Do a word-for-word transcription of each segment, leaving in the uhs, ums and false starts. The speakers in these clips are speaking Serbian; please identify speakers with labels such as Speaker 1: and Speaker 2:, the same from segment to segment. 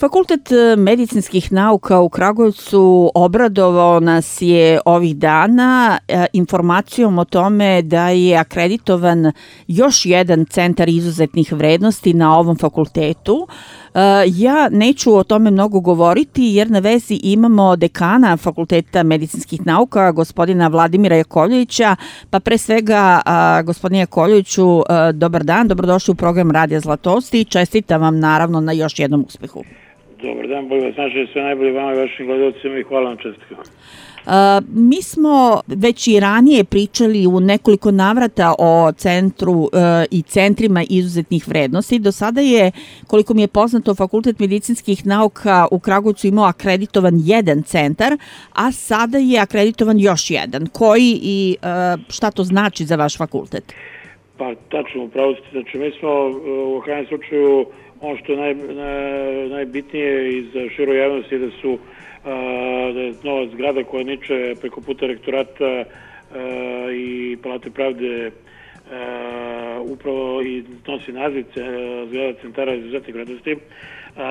Speaker 1: Fakultet medicinskih nauka u Kragujevcu obradovao nas je ovih dana informacijom o tome da je akreditovan još jedan centar izuzetnih vrednosti na ovom fakultetu. Ja neću o tome mnogo govoriti jer na vezi imamo dekana Fakulteta medicinskih nauka, gospodina Vladimira Jakovljevića, pa pre svega gospodine Jakovljeviću, dobar dan, dobrodošli u program Radija Zlatosti i čestitam vam naravno na još jednom uspehu.
Speaker 2: Dobar dan, bolje vas naše, sve najbolje vama i vašim gledalcima i hvala vam čestitkama.
Speaker 1: Uh, mi smo već i ranije pričali u nekoliko navrata o centru uh, i centrima izuzetnih vrednosti. Do sada je, koliko mi je poznato, Fakultet medicinskih nauka u Kragujevcu imao akreditovan jedan centar, a sada je akreditovan još jedan. Koji i uh, šta to znači za vaš fakultet?
Speaker 2: Pa tačno, upravo ste. Znači, mi smo u krajnjem slučaju ono što je naj, naj, najbitnije i za širu javnosti da su da je nova zgrada koja niče preko puta rektorata i Palate pravde upravo i nosi naziv zgrada centara izuzetnih vrednosti.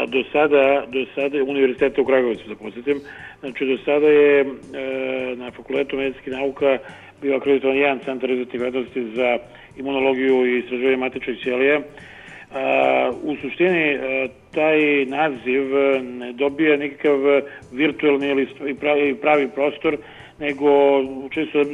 Speaker 2: Do sada, do sada univerziteta u Kragujevcu, da podsjetim, znači do sada je na Fakultetu medicinskih nauka bio akreditovan jedan centar izuzetnih vrednosti za imunologiju i istraživanje matičnih ćelija. Uh, u suštini uh, taj naziv ne dobija nikakav virtualni ili pravi, pravi prostor, nego čisto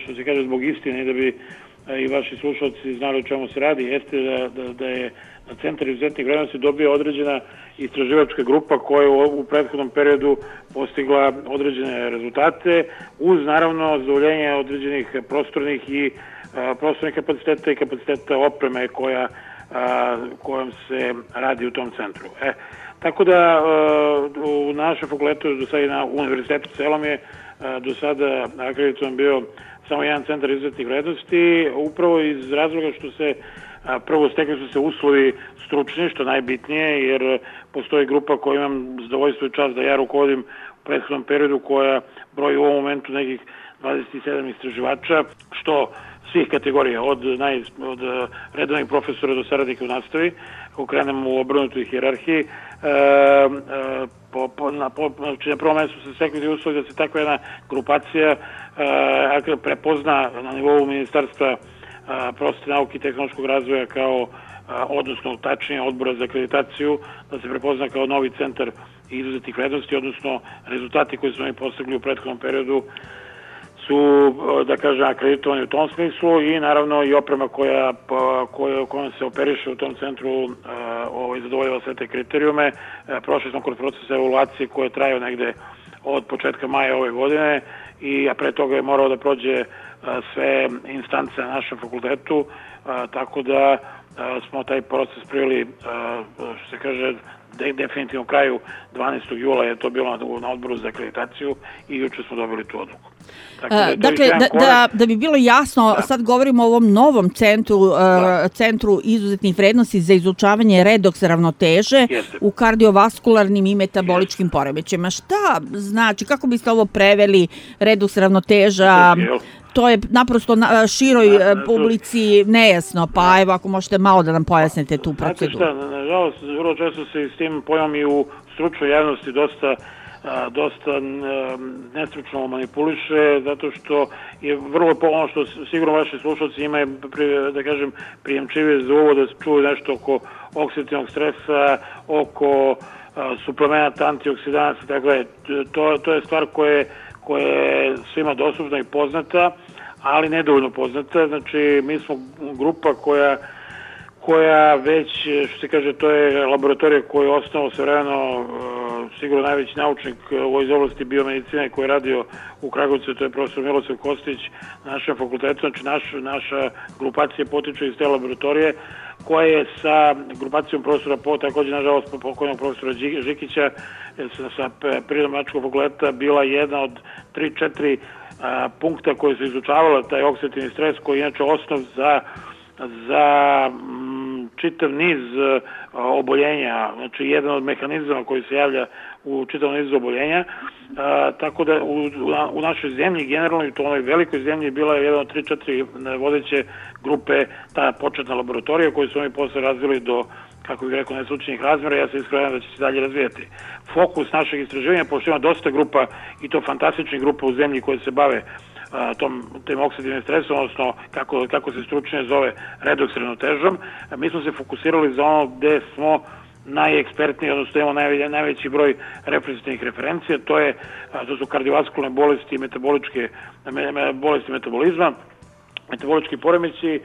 Speaker 2: što se kaže zbog istine da bi uh, i vaši slušalci znali o čemu se radi, jeste da, da, da je na Centar izuzetnih vrednosti dobio određena istraživačka grupa koja je u, u prethodnom periodu postigla određene rezultate uz naravno zadovoljenje određenih prostornih i uh, prostornih kapaciteta i kapaciteta opreme koja A, kojom se radi u tom centru. E, tako da a, u našem fakultetu do sada i na univerzitetu celom je a, do sada akreditovan bio samo jedan centar izuzetnih vrednosti, upravo iz razloga što se a, prvo stekli su se uslovi stručni, što najbitnije, jer postoji grupa koju imam zadovoljstvo i čast da ja rukovodim u prethodnom periodu, koja broji u ovom momentu nekih dvadeset sedam istraživača, što svih kategorija, od, naj, od redovnih profesora do saradnika u nastavi, ako krenemo u obrnutoj hijerarhiji. E, e, po, po, na, po, znači na prvom mjestu se stekli uslovi da se takva jedna grupacija e, prepozna na nivou Ministarstva prosvete, nauke i tehnološkog razvoja kao, a, odnosno tačnije odbora za akreditaciju, da se prepozna kao novi centar izuzetnih vrednosti, odnosno rezultati koji su oni postigli u prethodnom periodu su, da kažem, akreditovani u tom smislu i naravno i oprema koja, koja, kojom se operiše u tom centru ovaj, zadovoljava sve te kriterijume. Prošli smo kroz proces evaluacije koje traju negde od početka maja ove godine i a pre toga je morao da prođe sve instance na našem fakultetu, tako da smo taj proces priveli, što se kaže, de, definitivno kraju dvanaestog jula je to bilo na, na odboru za akreditaciju i juče smo dobili tu odluku.
Speaker 1: Tako da, dakle, da, da, da bi bilo jasno, da. Sad govorimo o ovom novom centru, da. centru izuzetnih vrednosti za izučavanje redoks ravnoteže Jeste. u kardiovaskularnim i metaboličkim Jeste. poremećajima. Šta znači, kako biste ovo preveli, redoks ravnoteža? To je naprosto na široj da, da, publici nejasno, pa da. evo ako možete malo da nam pojasnite tu proceduru.
Speaker 2: Znate šta, nažalost, vrlo često se s tim pojmom i u stručnoj javnosti dosta a, dosta a, nestručno manipuliše, zato što je vrlo ono što sigurno vaši slušalci imaju, da kažem, prijemčivije za uvod da čuju nešto oko oksidativnog stresa, oko a, suplemenata, antioksidanasa, tako da to, to je stvar koje koja je svima dostupna i poznata, ali nedovoljno poznata. Znači, mi smo grupa koja, koja već, što se kaže, to je laboratorija koju je osnovao svevremeno sigurno najveći naučnik u iz oblasti biomedicine koji je radio u Kragujevcu, to je profesor Milosav Kostić na našem fakultetu. Znači, naš, naša grupacija potiče iz te laboratorije koja je sa grupacijom profesora Po, također nažalost pokojnog profesora Žikića sa Prirodno-matematičkog fakulteta bila jedna od tri četiri punkta koje su izučavala taj oksidativni stres koji je inače osnov za za m, čitav niz uh, oboljenja, znači jedan od mehanizama koji se javlja u čitavom nizu oboljenja, uh, tako da u, u našoj zemlji generalno i to onoj velikoj zemlji bila je jedan od tri četiri vodeće grupe ta početna laboratorija koju su oni posle razvili do kako bih rekao, neslučajnih razmjera, ja se iskreno da će se dalje razvijati. Fokus našeg istraživanja, pošto ima dosta grupa, i to fantastičnih grupa u zemlji koje se bave a, tom, tim oksidivnim stresom, odnosno kako, kako se stručnije zove redoks ravnotežom, mi smo se fokusirali za ono gde smo najekspertniji, odnosno imamo najve, najveći broj reprezentativnih referencija, to, je, a, to su kardiovaskularne bolesti i metaboličke me, me, bolesti metabolizma, metabolički poremeći, e,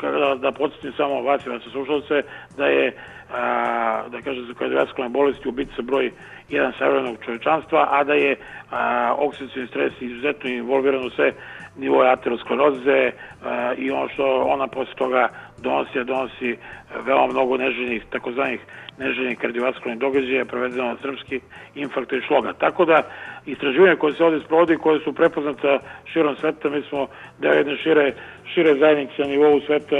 Speaker 2: da, da podsjetim samo vas i vas slušalce, da je, a, da kažem, za kardiovaskularne bolesti ubica broj jedan savremenog čovečanstva, a da je a, oksidativni stres izuzetno involviran u sve nivoje ateroskleroze a, i ono što ona posle toga donosi, donosi veoma mnogo neželjenih, takozvanih neželjenih kardiovaskularnih događaja, prevedeno na srpski, infarkta i šloga. Tako da istraživanja koje se ovdje sprovodi, koje su prepoznata širom sveta, mi smo deo jedne šire, šire zajednice na nivou sveta,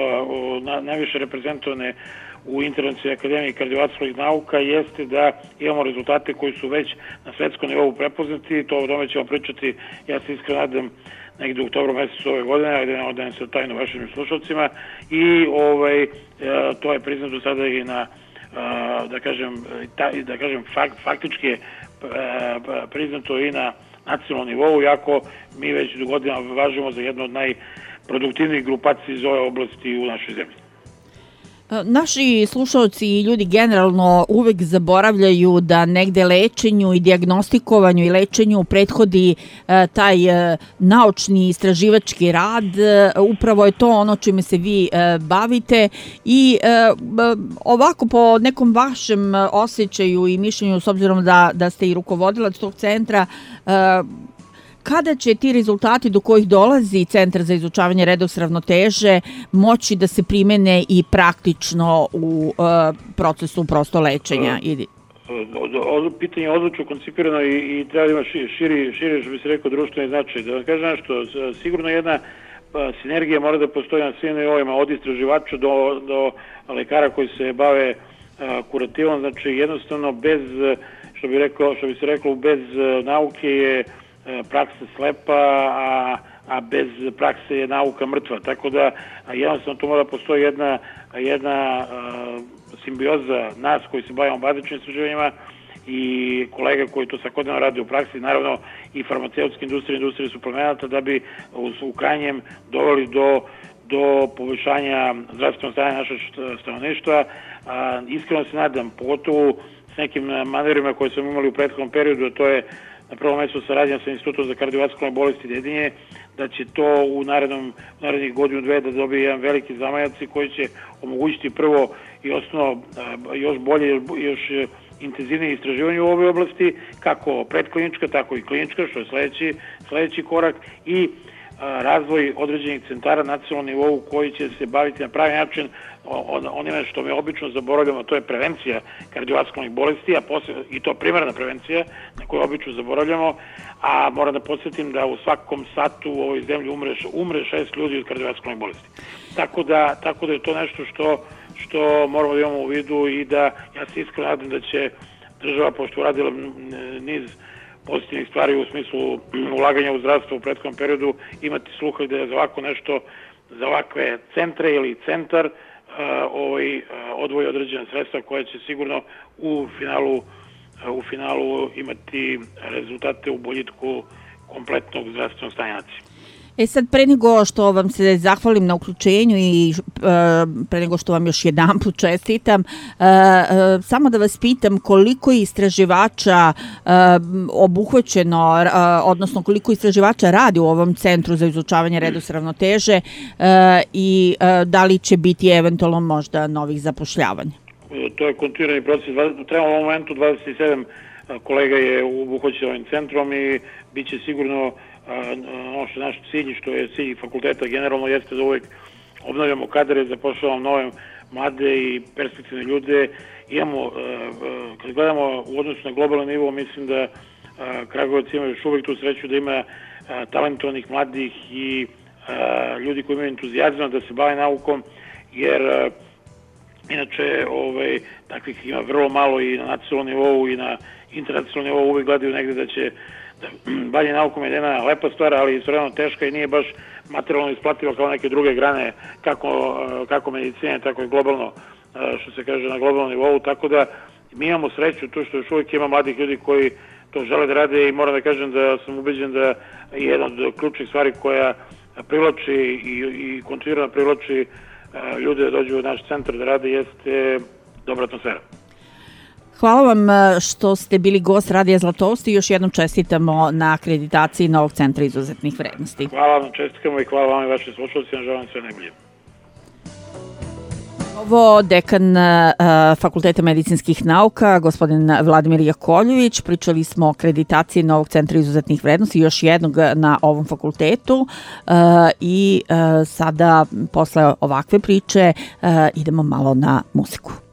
Speaker 2: na, najviše reprezentovane u Internacionalnoj akademiji kardiovaskularnih nauka, jeste da imamo rezultate koji su već na svetskom nivou prepoznati, to o tome ćemo pričati, ja se iskreno nadam, negdje u oktobru mjesecu ove godine, ajde ne odajem se tajno vašim slušalcima, i ovaj, e, to je priznato sada i na, e, da kažem, ta, da kažem fakt, faktički je e, priznato i na nacionalnom nivou, iako mi već do godina važimo za jednu od najproduktivnijih grupacija iz ove oblasti u našoj zemlji.
Speaker 1: Naši slušalci i ljudi generalno uvek zaboravljaju da negde lečenju i dijagnostikovanju i lečenju prethodi e, taj e, naučni istraživački rad. E, upravo je to ono čime se vi e, bavite i e, ovako po nekom vašem osjećaju i mišljenju, s obzirom da, da ste i rukovodilac tog centra, e, kada će ti rezultati do kojih dolazi Centar za izučavanje redoks ravnoteže moći da se primene i praktično u uh, procesu prosto lečenja?
Speaker 2: Ovo pitanje je odlučno koncipirano i, i treba da ima širi, širi, što bi se rekao, društveni značaj. Da vam kažem nešto, sigurno jedna pa, sinergija mora da postoji na svim nivoima, od istraživača do, do lekara koji se bave a, kurativom. Znači, jednostavno, bez, što bi, rekao, što bi se reklo, bez nauke je praksa slepa, a, a bez prakse je nauka mrtva. Tako da jednostavno tu mora postoji jedna, jedna a, simbioza nas koji se bavimo bazičnim istraživanjima i kolega koji to svakodnevno rade u praksi, naravno i farmaceutske industrije, industrije suplemenata, da bi u, u krajnjem doveli do, do poboljšanja zdravstvenog stanja našeg stanovništva. A, iskreno se nadam, pogotovo s nekim manevrima koje smo imali u prethodnom periodu, a to je na prvom mjestu saradnja sa Institutom za kardiovaskularne bolesti Dedinje, da će to u narednom, narednih godinu dve da dobije jedan veliki zamajac koji će omogućiti prvo i osnovno još bolje, još intenzivnije istraživanje u ovoj oblasti, kako predklinička, tako i klinička, što je sljedeći, sljedeći korak, i razvoj određenih centara na nacionalnom nivou koji će se baviti na pravi način onime što mi obično zaboravljamo, to je prevencija kardiovaskularnih bolesti, a posle, i to primarna prevencija na koju obično zaboravljamo, a moram da podsjetim da u svakom satu u ovoj zemlji umre, umre šest ljudi od kardiovaskularnih bolesti. Tako da, tako da je to nešto što, što moramo da imamo u vidu i da ja se iskreno nadam da će država, pošto uradila niz pozitivnih stvari u smislu ulaganja u zdravstvo u prethodnom periodu, imati sluha da je za ovako nešto, za ovakve centre ili centar uh, ovaj, uh, odvoji određene sredstva koje će sigurno u finalu, uh, u finalu imati rezultate u boljitku kompletnog zdravstvenog stanja nacije.
Speaker 1: E sad, pre nego što vam se zahvalim na uključenju i e, pre nego što vam još jedan put čestitam, e, e, samo da vas pitam koliko je istraživača e, obuhvaćeno, e, odnosno koliko istraživača radi u ovom Centru za izučavanje redoks ravnoteže e, i e, da li će biti eventualno možda novih zapošljavanja?
Speaker 2: To je kontinuirani proces. Trebamo u ovom momentu dvadeset sedam kolega je obuhvaćeno ovim centrom i bit će sigurno ono što je naš cilj, što je cilj fakulteta generalno, jeste da uvijek obnavljamo kadre, zapošljavamo nove mlade i perspektivne ljude. Imamo, kad gledamo u odnosu na globalni nivo, mislim da Kragujevac ima još uvijek tu sreću da ima talentovanih mladih i ljudi koji imaju entuzijazam da se bave naukom, jer inače ovaj, takvih ima vrlo malo i na nacionalnom nivou i na internacionalnom nivou, uvijek gledaju negde da će bavljenje naukom je jedna lepa stvar, ali istovremeno teška i nije baš materijalno isplativa kao neke druge grane, kako, kako medicine, tako i globalno što se kaže, na globalnom nivou, tako da mi imamo sreću tu što još uvijek ima mladih ljudi koji to žele da rade i moram da kažem da sam ubeđen da je jedna od ključnih stvari koja privlači i, i kontinuirano privlači ljude da dođu u naš centar da rade jeste dobra atmosfera.
Speaker 1: Hvala vam što ste bili gost Radija Zlatoust i još jednom čestitamo na akreditaciji novog centra izuzetnih vrednosti.
Speaker 2: Hvala vam, čestitkamo i hvala vam i vašim slušalcima, želim sve najbolje.
Speaker 1: Ovo dekan uh, Fakulteta medicinskih nauka, gospodin Vladimir Jakovljević. Pričali smo o akreditaciji novog centra izuzetnih vrednosti, još jednog na ovom fakultetu uh, i uh, sada posle ovakve priče uh, idemo malo na muziku.